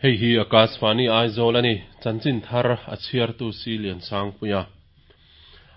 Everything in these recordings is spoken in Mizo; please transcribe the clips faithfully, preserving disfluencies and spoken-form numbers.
Hei hi Akashvani Aizawl ani chanchin thar a chhiartu si lian sang puia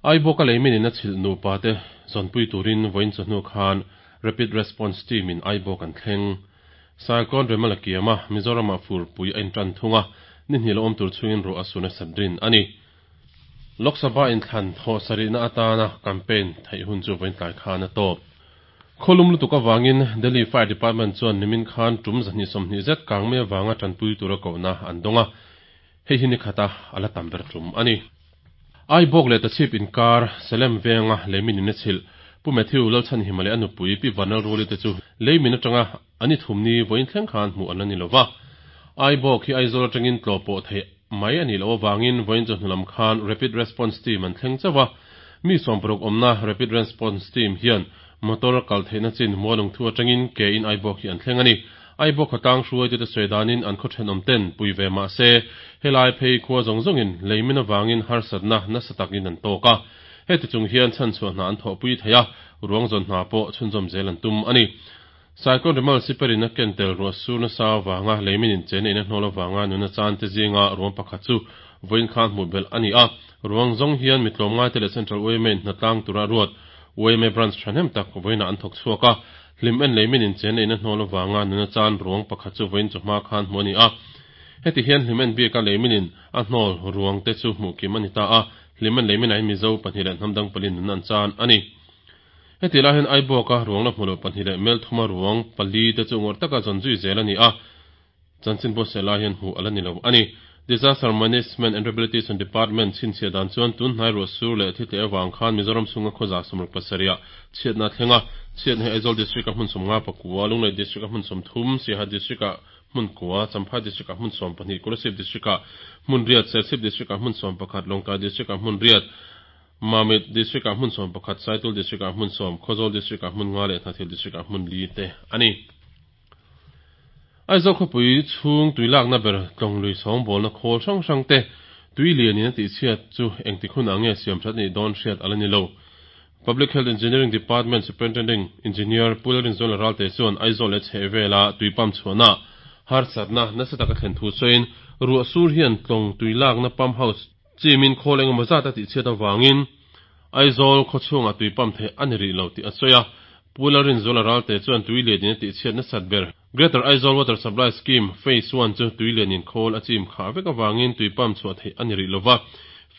Aibawk a leimin in a chhilh nupa te zawnpui turin vawiin chawhnu khan Rapid Response Team in Aibawk an thleng. Cyclone Remal a kiam a, Mizoramah furpui a intan thung a, ni hnih la awm tur chhungin ruah a sun a sat rin a ni. Lok Sabha inthlan thawh sarihna atana campaign theih hun chu vawiin tlai khan a tawp. Khawlum lutuk avangin Delhi Fire Department chuan nimin khan tum zahnih sawmhnih zet kang mai avanga tanpui tura kohna an dawng a, hei hi ni khata a la tam ber tum a ni. Aibawk leh Tachhip inkar Salem venga leimin in a chhilh Pu Matthew Lalchhanhima leh a nupui Pi Vanlalruli te chu leimin atanga an i thumni vawiin thleng khan hmuh an la ni lova. Aibawk hi Aizawl atangin tlawh pawh theih mai a nih loh avangin vawiin chawhnu lam khan Rapid Response Team an thleng chauh a. Mi sawmparuk awmna Rapid Response Team hian motor kal theihna chin Mualungthu atangin ke in Aibawk hi an thleng a ni. Aibawk khawtlang hruaitute sawi danin an khaw thenawm ten pui ve mah se helai phei khua zawng zawngin leimin avangin harsatna nasa takin an tawk a. Heti chung hian chhanchhuah hna an thawhpui thei a, ruang zawn hna pawh chhunzawm zel an tum a ni. Cyclone Remal siperin a ken tel ruah sur nasa avanga leimin in chen in a hnawl avanga nuna chan te zinga ruang pakhat chu vawiin khan hmuh belh a ni a. Ruang zawng hian mi tlawmngai te leh Central Y M A in hnatlang tura ruat Y M A branch thahnem tak vawiinah an thawk chhuak a. Hlim en leimin in chen in a hnawl avanga nuna chan ruang pakhat chu vawiin chawhma khan hmuh a ni a. Heti hian hlim en bika leimin in a hnawl ruang te chu hmuh kim a ni ta a. Hlim en leimin ah hian Mizo pahnih leh hnamdang pali nun an chan a ni. Heti lai hian Aibawka ruang la hmu loh pahnih leh Melthuma ruang pali te chu ngawrh taka zawn zui zel a ni a. Chanchin buatsaih lai hian hmuh a la ni lo a ni. Disaster Management and Rehabilitation Department chhinchhiah dan chuan tunhnai ruah sur leh thi tleh avang khan Mizoram chhunga khawza sawmruk pasarih chhiatna a thleng a. Chhiatna hi Aizawl District a hmun sawmnga pakua, Lunglei District a hmun sawmthum, Siaha District ah hmun kua, Champhai District ah hmun sawm pahnih, Kolasib District ah hmun riat, Serchhip District ah hmun sawm pakhat, Lawngtlai District ah hmun riat, Mamit District ah hmun sawm pakhat, Saitul District ah hmun sawm, Khawzawl District ah hmun nga leh Hnathil District ah hmun li te a ni. Aizawl khawpui chhung tuilakna ber tlawnglui sawngbawlna khawl hrang hrang te tui lianin a tihchhiat chu engtik hunah nge siam that nih dawn hriat a la ni lo. Public Health Engineering Department Superintending Engineer Pu Lalrinzuala Ralte chuan Aizawl leh chheh vela tui pump chhuahna harsatna nasa taka thlen thu sawiin ruah sur hian tlawng tuilakna pump house chimin khawl engemaw zat a tihchhiat avangin Aizawl khawchhungah tui pump theih a ni rih lo tih a sawi a. Pu Lalrinzuala Ralte chuan tui lianin a tihchhiat nasat ber Greater Aizawl Water Supply Scheme Phase one chu tui lianin khawl a chim khah vek avangin tui pump chhuah theih a ni rih lova.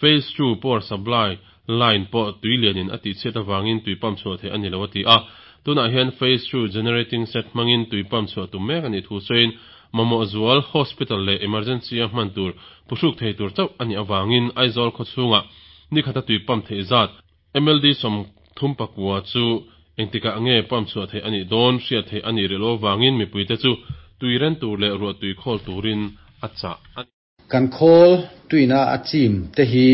Phase two power supply line pawh tui lianin a tihchhiat avangin tui pump chhuah theih a ni lo a ti a. Tunah hian Phase two generating set hmangin tui pump chhuah tum mek a nih thu sawiin mamawh zual hospital leh emergency a hman tur phuhruk thei tur chauh a nih avangin Aizawl khawchhungah ni khata tui pump theih zat M L D sawm thum pakua chu engtikah nge pump chhuah theih a nih dawn hriat theih a nih rih lo avangin mipuite chu tui ren tur leh ruah tui khawl turin a chah a ni. Kan khawl tuina a chim te hi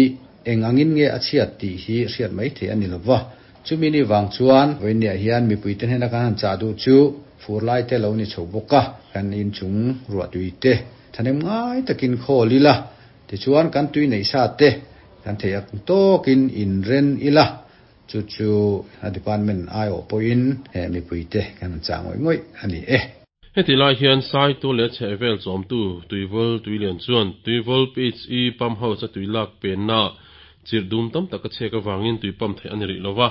eng angin nge a chhiat tih hi hriat mai theih a ni lova. Chumi ni wang chuan vawiinniah hian mipuite hnena kan han chah duh chu fur lai te lo ni chho bawk a. Kan inchung ruah tui te thanem ngai takin khawl ila. Tichuan kan tui nei sa te kan thei ak tawkin in ren ila. Chu chu a department ai awh pawhin mipuite kan han chah ngawih ngawih a ni e. Heti lai hian Saitu leh chheh vel chawmtu Tuivawl Tuilian chuan Tuivawl P H E pump house a tui lak penna chirh dum tam tak a chhek avangin tui pump theih a ni rih lova.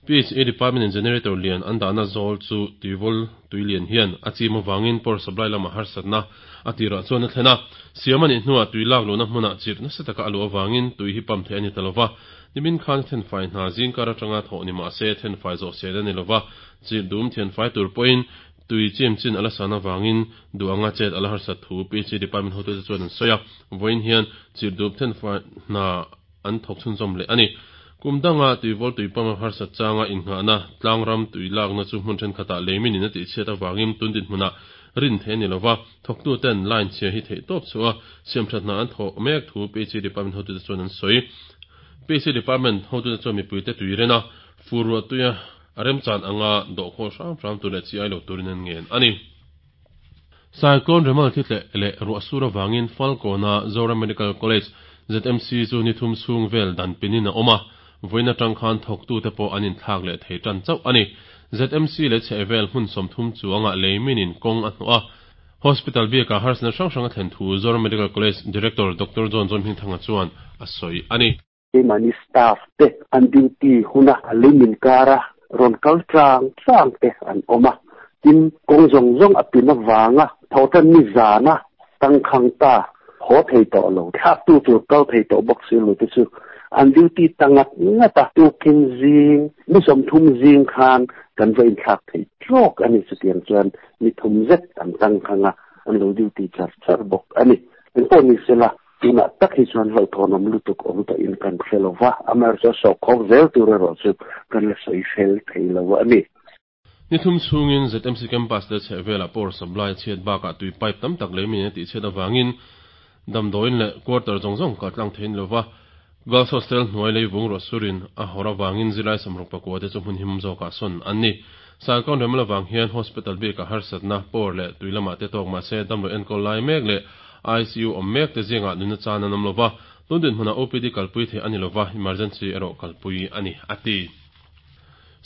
P H E Department in generator lian an dahna zawl chu Tuivawl Tuilian hian a chim avangin power supply lamah harsatna a tirah chuan a thlen a. Siam a nih hnuah tui lak luhna hmunah chirh nasa taka a luh avangin tui hi pump theih a ni ta lova. Nimin khan thenfai hna zingkar atanga thawh ni mah se thenfai zawh sel a ni lova. Chirh dum thianfai tur pawhin tui chim chin ala san avangin duanga chet ala harsat thu P H E Department hotu te chuan an sawi a. Vawiin hian chirh dum thenfai hna an thawk chhunzawm leh a ni. Kumdanga tuivawl tui pump a harsat changa innghahna tlangram tui lakna chu hmun thenkhatah leimin in a tihchhiat avangin tundin hmunah rin theih a ni lova. Thawktu ten line chhia hi theih tawp chu a siam that hna an thawh mek thu P H E Department hotu te chuan an sawi. P H E Department hotu te chuan mipuite tui rena fur ruah tuia a remchan anga dawh khawl hram hram tur leh chi ai lo turin an ngen a ni. Cyclone Remal thi tleh leh ruah sur avangin Falkawna Zoram Medical College Z M C chu ni thum chhung vel dan pinin a awm a. Vawiin atang khan thawktu te pawh an inthlak leh thei tan chauh a ni. Z M C leh chheh vel hmun sawm thum chuanga leimin in kawng a hnawh a. Hospital biaka harsatna hrang hrang a thlen thu Zoram Medical College Director Doctor John Zohmingthanga chuan a sawi a ni. Keimahni staff te an duty huna a leimin kara rawn kal tlang tlang te an awm a, tin kawng zawng zawng a pin avanga thotan ni zana tangkhang ta haw thei tawh lo thlak tu tur kal thei tawh bawk si lo te chu an duty tangat ngata tukin zing mi sawmthum zing khan kan va inthlak thei trawk ani chutiang chuan mi thum zet an tangkhanga an lo duty char char bawk ani. Engpawh ni sela tuna tak hi chuan hlauhthawnawm lutuk awm tawh in kan hre lova amaherawhchu sawhkhawk zel tur erawh chu kan la sawi fel thei lo ani. Ni thum chungin Z M C campus le chhehvelah power supply chhiat bakah tui pipe tam tak leimin a tih chhiat awangin damdawiin leh quarter zawng zawng kaltlang thein lova Girls Hostel hnuai leivung rawh surin a hawr awangin zilai sawmruk pakua te chu hmun him zawkah sawn an ni. Cyclone Remal awang hian hospital bikah harsatna power leh tui lamah te tawk mahse damlo enkawl lai mek leh I C U awm mek te zingah nunna chan an awm lova tun dinhmunah O P D kalpui thei ani lova emergency erawh kalpui ani a ti.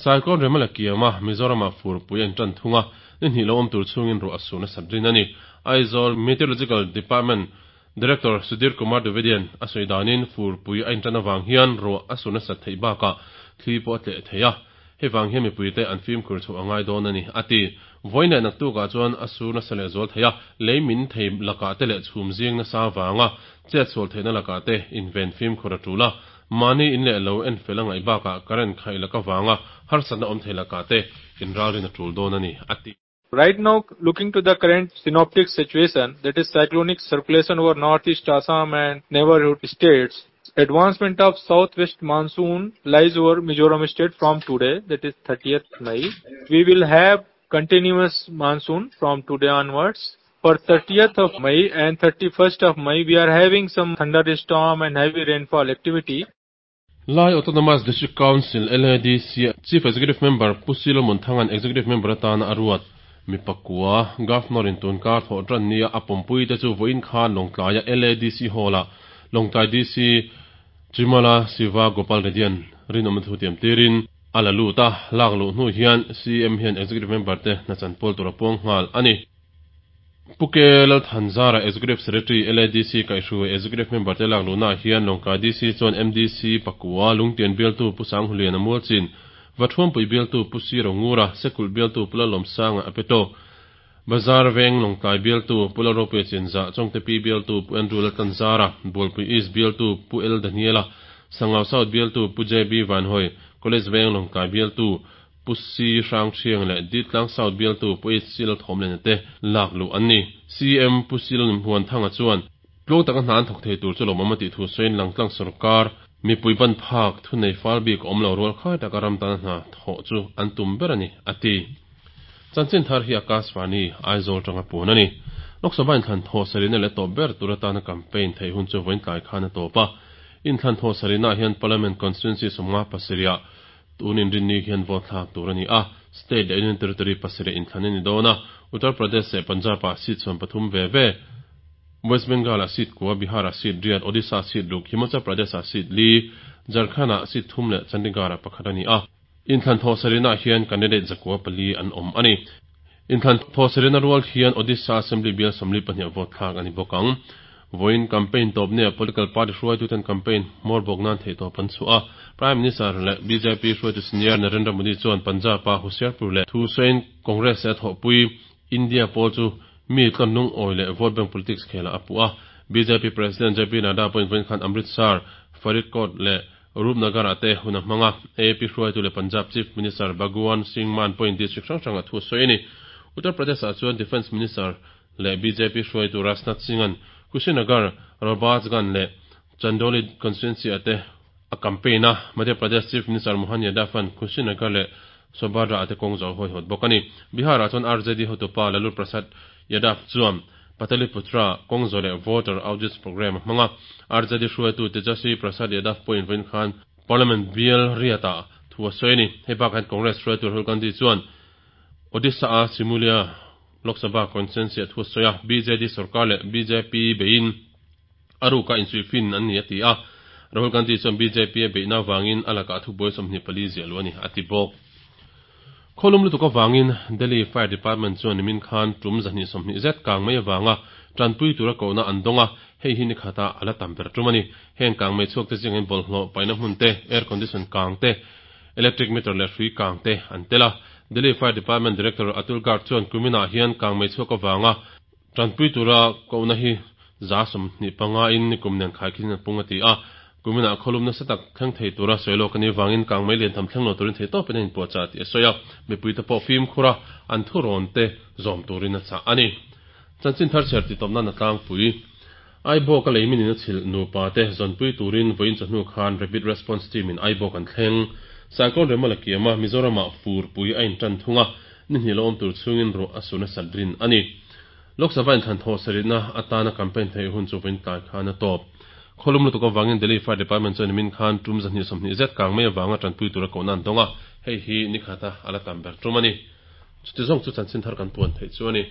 Cyclone Remal a kiama Mizoramah furpui an tan thunga ni hnih lo awm tur chungin ruah a surna sat rin ani. Aizawl Meteorological Department Director Sudhir Kumar Dwivedian a sawi danin furpui a intan awang hian ruah a surna sat thei bakah thli pawh a tleh thei a hewang hian mipui te an fim khur chho angai dawn ani a ti. Vawiin naktukah chuan a surna sa leh zual thei a leimin thei lakah te leh chhum zing nasa wanga chet sual theihna lakah te inven fim khur a tula mani in leh lo en fel angai bakah current khai laka wanga harsatna awm thei lakah te inralrin a tul dawn ani a ti. Right now, looking to the current synoptic situation, that is cyclonic circulation over northeast Assam and neighborhood states, advancement of southwest monsoon lies over Mizoram state from today, that is thirtieth May. We will have continuous monsoon from today onwards. For thirtieth of May and thirty-first of May, we are having some thunderstorm and heavy rainfall activity. Lai Autonomous District Council L A D C Chief Executive Member Pu Solomon Thangan Executive Member atana aruat mipakua Governor in tunkar thaw tran nia a pumpui te chu voin khan Lawngtlaia L A D C Hall-a Lawngtlai D C Chimala Siva Gopal Reddy rinom thu tiam tirin ala luta lak lu hnu hian C M hian Executive Member te nachan pawl tura pawng nghal ani. Puke Lal Thanzara Executive Secretary L A D C kaihru Executive Member te lak lu na hian Lawngtlai D C chuan M D C pakua Lungtian bialtu Pu Sanghulian a mualchin Vathuampui bialtu Pu Siro Ngura Sekul bialtu Pu Lalawmsanga Apeto Bazar Veng Lawngtlai bialtu Pu Lalrope Chinza Chongte Pi bialtu Pu Andrew Laltanzara Bualpui East bialtu Pu El Daniela Sangau South bialtu Pu J B Vanhoi College Veng Lawngtlai bialtu Pu C Hrang Thiang leh Ditlang South bialtu Pu H C Lalthawmlen te lak lu an ni. C M Pu Silon Thanga chuan tlawng taka hna an thawk thei tur chu lawmawm a tih thu sawiin Langtlang sarkar mipui ban phak thu nei fal bik awm lo rual khai taka ram tan hna thawh chu an tum ber ani a ti. Chanchin thar hi Akashvani Aizawl tanga pun ani. Lok Sabha inthlan thaw sarina leh tawp ber tur atana campaign thei hun chu vawiin tlai khan a tawp a. Inthlan thaw sarina hian Parliament Constituency sawmnga pasarih tunin rinni hian vote thlak tur ani a. State leh Union Territory pasarih inthlan ani dawn a. Uttar Pradesh leh Punjab ah seat sawm pathum ve ve West Bengal a seat kua Bihar a seat riat Odisha seat ruk Himachal Pradesh a seat li Jharkhand a seat thum leh Chandigarh a pakhat ani a. Inthlan thaw sarina hian candidate zakua pali an awm ani. Inthlan thaw sarina rual hian Odisha Assembly bial sawmli pahnih vote thlak ani bawk ang. Voin campaign tawp ne political party hruaitu ten campaign hmawr bawk nan thei tawp an chhuah a. Prime Minister leh B J P hruaitu senior Narendra Modi chuan Punjab a Hoshiarpur leh thu sawiin Congress a thawhpui India pawl chu mi tlawnlung awi leh vote bank politics khela a pu a. B J P President J P Nadda pawhin vawiin khan Amritsar, Faridkot leh Rupnagar ah te hun a hmanga. A P hruaitu leh Punjab Chief Minister Bhagwan Singh Mann pawhin district hrang hrang a thu sawi ani. Uttar Pradesh ah chuan Defence Minister leh B J P hruaitu Rajnath Singh an Kushinagar, Robertsganj leh Chandauli constituency ate a campaign a. Madhya Pradesh Chief Minister Mohan Yadav an Kushinagar leh Sobhadra ate kawng zo hawi hawt bawk ani. Bihar ah chuan R J D hotupa Lalu Prasad Yadav chuan Pataliputra kawng zo leh voter audits program a hmanga. R J D hruaitu Tejaswi Prasad Yadav pawhin vawiin khan Parliament bial riatah thu a sawi ani. Hei bakah hian Congress hruaitu Rahul Gandhi chuan Odisha a Simulia Lok Sabha constituency a thu a sawi a. B J D sarkar leh B J P bein aruka insuifin an ni a ti a. Rahul Gandhi chuan B J P a beihna wangin a lakah thu buai sawmhnih pali ziah lu ani a ti bawk. Khaw lum lutuk avangin Delhi Fire Department chuan nimin khan tum zahnih sawmhnih zet kang mei avanga tanpui tura kohna an dawng a, hei hi ni khata a la tam ber tum a ni. Heng kang mei chhuak te zingah hian bawlhhlawh paihna hmun te, air condition kang te, electric meter leh hrui kang te an tel a. Delhi Fire Department Director Atul Garg chuan kuminah hian kang mei chhuak avanga tanpui tura kohna hi za sawmhnih panga in nikum nen khaikhin a pung a ti a. Kuminah khaw lum nasa tak thleng thei tura sawi lawk a nih vangin kang mei lian tham thleng lo turin thei tawpin a inpuahchah tih a sawi a, mipuite pawh fimkhur a, an thurawn te zawm turin a chah a ni. Chanchin thar chhiar titawp nan a tlangpui. Aibawk a leimin in a chhilh nupa te zawnpui turin vawiin chawhnu khan Rapid Response Team in Aibawk an thleng. Cyclone Remal a kiam a, Mizoramah furpui a intan thung a, ni hnih lo awm tur chhungin ruah a sur nasat rin a ni. Lok Sabha inthlan thawh sarihna atana campaign theih hun chu vawiin tlai khan a tawp. Khaw lum lutuk avangin Delhi Fire Department chuan nimin khan tum zahnih sawmhnih zet kang mai avanga tanpui tura kohna an dawng a, hei hi ni khata a la tam ber tum a ni. Chuti zawng chu chanchin thar kan puan theih chu a ni.